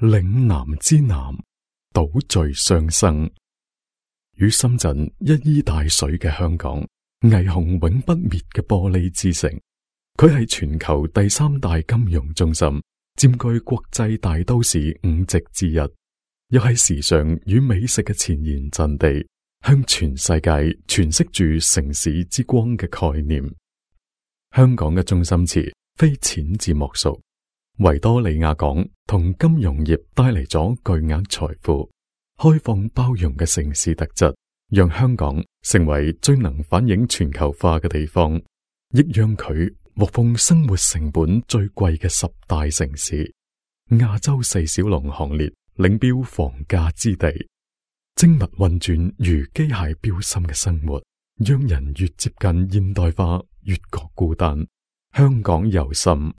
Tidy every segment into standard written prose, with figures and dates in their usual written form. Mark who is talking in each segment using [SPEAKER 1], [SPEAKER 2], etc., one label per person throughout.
[SPEAKER 1] 嶺南之南，島嶼相生。與深圳一衣帶水嘅香港，霓虹永不滅嘅玻璃之城，佢係全球第三大金融中心，佔據國際大都市5席之一，又係時尚與美食嘅前沿陣地，向全世界詮釋住城市之光嘅概念。香港嘅中心詞非淺字莫屬，維多利亞港同金融業帶嚟咗巨額財富。開放包容嘅城市特質，讓香港成為最能反映全球化嘅地方，亦讓佢獲封生活成本最貴嘅10大城市，亞洲4小龍行列領標房價之地。精密運轉如機械標心嘅生活，讓人越接近現代化越覺孤單。香港尤甚，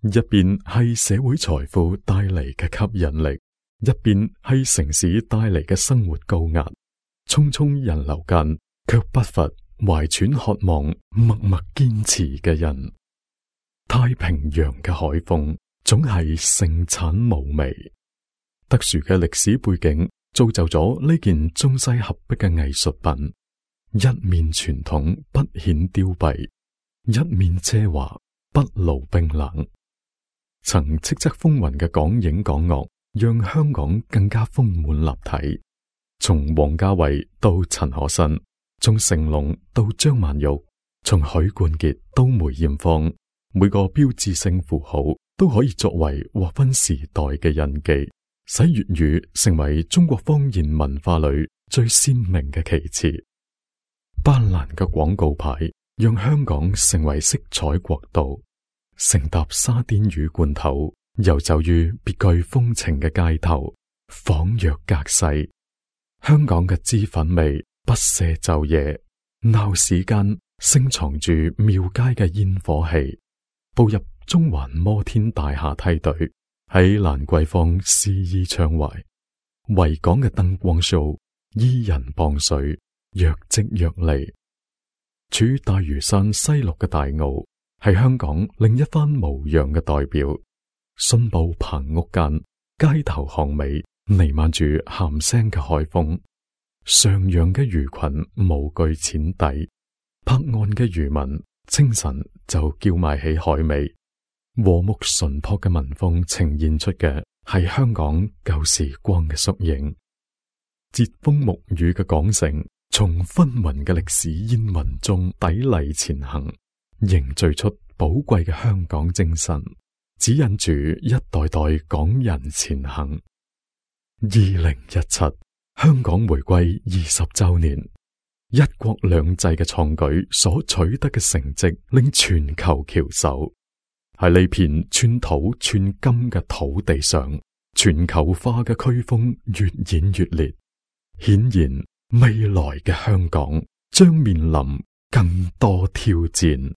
[SPEAKER 1] 一邊係社會財富帶嚟嘅吸引力，一邊係城市帶嚟嘅生活高壓，匆匆人流間，卻不乏懷揣渴望、默默堅持嘅人。太平洋嘅海風總係盛產無味，特殊嘅歷史背景造就咗呢件中西合璧嘅藝術品，一面傳統不顯凋敝，一面奢華不露冰冷。曾叱咤風雲嘅港影港樂，讓香港更加豐滿立體。從王家衛到陳可辛，從成龍到張曼玉，從許冠傑到梅艷芳，每個標誌性符號都可以作為劃分時代嘅印記，使粵語成為中國方言文化裏最鮮明嘅旗幟。斑斕嘅廣告牌讓香港成為色彩國度，乘搭沙甸魚罐頭，遊走於別具風情嘅街頭，仿若隔世。香港嘅脂粉味不捨晝夜，鬧市間盛藏住廟街嘅煙火氣。步入中環摩天大廈梯隊，喺蘭桂坊肆意暢懷。維港嘅燈光 show， 伊人傍水，若即若離。處大嶼山西麓嘅大澳，係香港另一番模樣嘅代表。信步棚屋間，街頭巷尾彌漫住鹹腥嘅海風。上揚嘅魚群無懼淺底，泊岸嘅漁民清晨就叫賣起海味。和睦淳樸嘅民風呈現出嘅係香港舊時光嘅縮影。櫛風沐雨嘅港城，從紛紜嘅歷史煙雲中砥礪前行，凝聚出寶貴嘅香港精神，指引住一代代港人前行。2017香港回歸20周年，一國兩制嘅創舉所取得嘅成績，令全球翹首。喺呢片寸土寸金嘅土地上，全球化嘅颶風越演越烈。顯然，未來嘅香港將面臨更多挑戰。